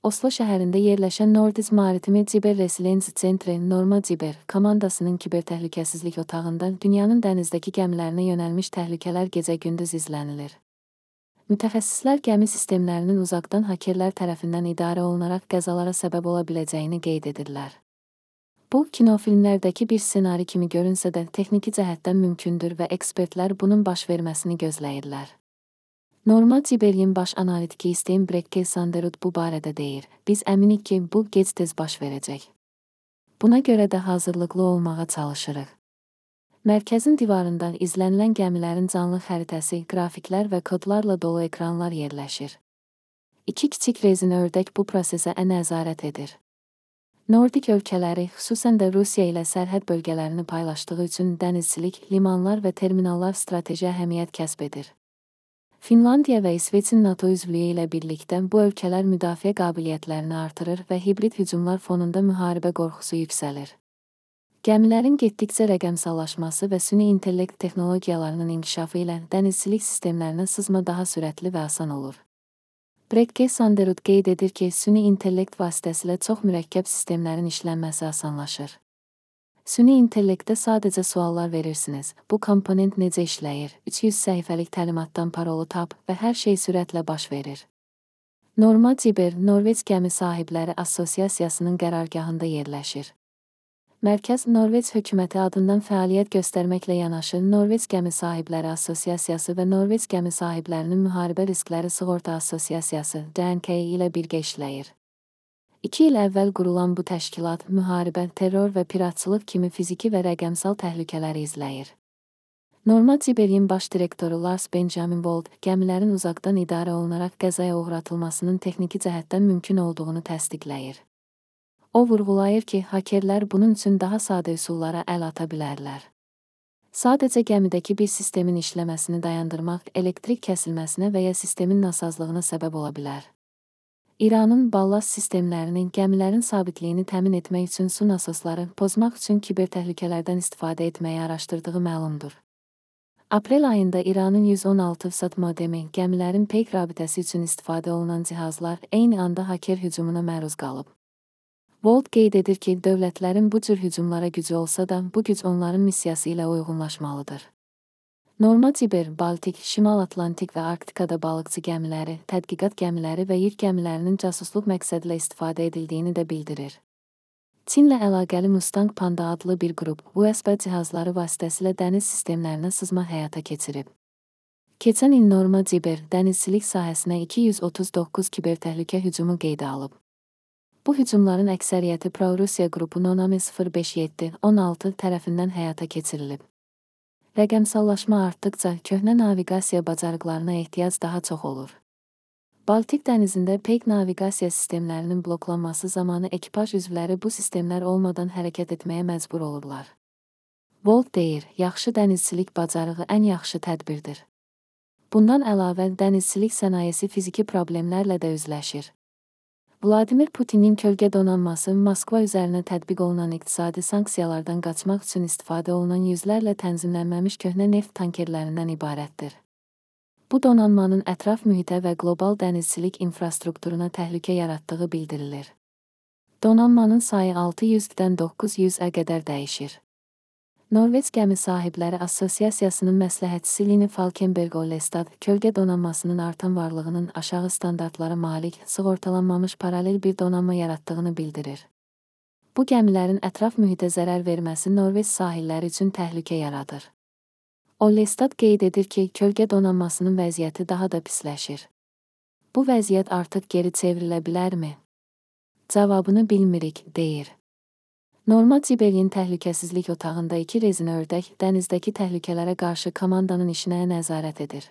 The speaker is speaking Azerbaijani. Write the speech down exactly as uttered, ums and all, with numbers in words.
Oslo şəhərində yerləşən Nordic Maritime Cyber Resilience Centre Norma Cyber komandasının kibertəhlükəsizlik otağında dünyanın dənizdəki gəmilərinə yönəlmiş təhlükələr gecə-gündüz izlənilir. Mütəxəssislər gəmi sistemlərinin uzaqdan hakerlər tərəfindən idarə olunaraq qəzalara səbəb ola biləcəyini qeyd edirlər. Bu, kinofilmlərdəki bir ssenari kimi görünsə də texniki cəhətdən mümkündür və ekspertlər bunun baş verməsini gözləyirlər. Norma Cyber'in baş analitiki Stein Brekke Sanderud bu barədə deyir. Biz əminik ki, bu gec-tez baş verəcək. Buna görə də hazırlıqlı olmağa çalışırıq. Mərkəzin divarından izlənilən gəmilərin canlı xəritəsi, qrafiklər və kodlarla dolu ekranlar yerləşir. İki kiçik rezin ördək bu prosesə nəzarət edir. Nordik ölkələri, xüsusən də Rusiya ilə sərhəd bölgələrini paylaşdığı üçün dənizçilik, limanlar və terminallar strateji əhəmiyyət kəsb edir. Finlandiya və İsveçin NATO üzvlüyü ilə birlikdə bu ölkələr müdafiə qabiliyyətlərini artırır və hibrid hücumlar fonunda müharibə qorxusu yüksəlir. Gəmilərin getdikcə rəqəmsallaşması və süni intellekt texnologiyalarının inkişafı ilə dənizçilik sistemlərinə sızma daha sürətli və asan olur. Brekke Sanderud qeyd edir ki, süni intellekt vasitəsilə çox mürəkkəb sistemlərin işlənməsi asanlaşır. Süni intellektdə sadəcə suallar verirsiniz. Bu komponent necə işləyir? üç yüz səhifəlik təlimatdan parolu tap və hər şey sürətlə baş verir. Norma Cyber, Norveç Gəmi Sahibləri Assosiasiyasının qərargahında yerləşir. Mərkəz Norveç hökuməti adından fəaliyyət göstərməklə yanaşı Norveç Gəmi Sahibləri Assosiasiyası və Norveç Gəmi Sahiblərinin Müharibə Riskləri Sığorta Assosiasiyası D N K ilə birgə işləyir. İki il əvvəl qurulan bu təşkilat müharibə, terror və piratçılıq kimi fiziki və rəqəmsal təhlükələri izləyir. Norma Cyber'in baş direktoru Lars Benjamin Wold, gəmilərin uzaqdan idarə olunaraq qəzaya uğratılmasının texniki cəhətdən mümkün olduğunu təsdiqləyir. O vurğulayır ki, hakerlər bunun üçün daha sadə üsullara əl ata bilərlər. Sadəcə gəmidəki bir sistemin işləməsini dayandırmaq elektrik kəsilməsinə və ya sistemin nasazlığına səbəb ola bilər. İranın ballast sistemlərinin gəmilərin sabitliyini təmin etmək üçün su nasosları pozmaq üçün kibertəhlükələrdən istifadə etməyi araşdırdığı məlumdur. Aprel ayında İranın yüz on altı sat modemi, gəmilərin peyk rabitəsi üçün istifadə olunan cihazlar eyni anda haker hücumuna məruz qalıb. Wold qeyd edir ki, dövlətlərin bu cür hücumlara gücü olsa da, bu güc onların missiyası ilə uyğunlaşmalıdır. Norma Cyber, Baltik, Şimal Atlantik və Arktikada balıqçı gəmiləri, tədqiqat gəmiləri və yük gəmilərinin casusluq məqsədilə istifadə edildiyini də bildirir. Çinlə əlaqəli Mustang Panda adlı bir qrup U S B cihazları vasitəsilə dəniz sistemlərinə sızma həyata keçirib. Keçən il Norma Cyber, dənizçilik sahəsinə iki yüz otuz doqquz kibertəhlükə hücumu qeydə alıb. Bu hücumların əksəriyyəti Pro-Rusiya qrupu Nonami sıfır beş yeddi on altı tərəfindən həyata keçirilib. Rəqəmsallaşma artdıqca köhnə naviqasiya bacarıqlarına ehtiyac daha çox olur. Baltik dənizində peyk naviqasiya sistemlərinin bloklanması zamanı ekipaj üzvləri bu sistemlər olmadan hərəkət etməyə məcbur olurlar. Wold deyir, yaxşı dənizçilik bacarığı ən yaxşı tədbirdir. Bundan əlavə, dənizçilik sənayesi fiziki problemlərlə də üzləşir. Vladimir Putinin kölgə donanması Moskva üzərinə tətbiq olunan iqtisadi sanksiyalardan qaçmaq üçün istifadə olunan yüzlərlə tənzimlənməmiş köhnə neft tankerlərindən ibarətdir. Bu donanmanın ətraf mühitə və qlobal dənizçilik infrastrukturuna təhlükə yaratdığı bildirilir. Donanmanın sayı altı yüzdən doqquz yüzə qədər dəyişir. Norveç Gəmi Sahibləri Assosiasiyasının məsləhətçisi Line Falkenberg Ollestad, kölgə donanmasının artan varlığının aşağı standartlara malik, sığortalanmamış paralel bir donanma yaratdığını bildirir. Bu gəmilərin ətraf mühitə zərər verməsi Norveç sahilləri üçün təhlükə yaradır. Ollestad qeyd edir ki, kölgə donanmasının vəziyyəti daha da pisləşir. Bu vəziyyət artıq geri çevrilə bilərmi? Cavabını bilmirik, deyir. Norma Cyber'in təhlükəsizlik otağında iki rezin ördək dənizdəki təhlükələrə qarşı komandanın işinə nəzarət edir.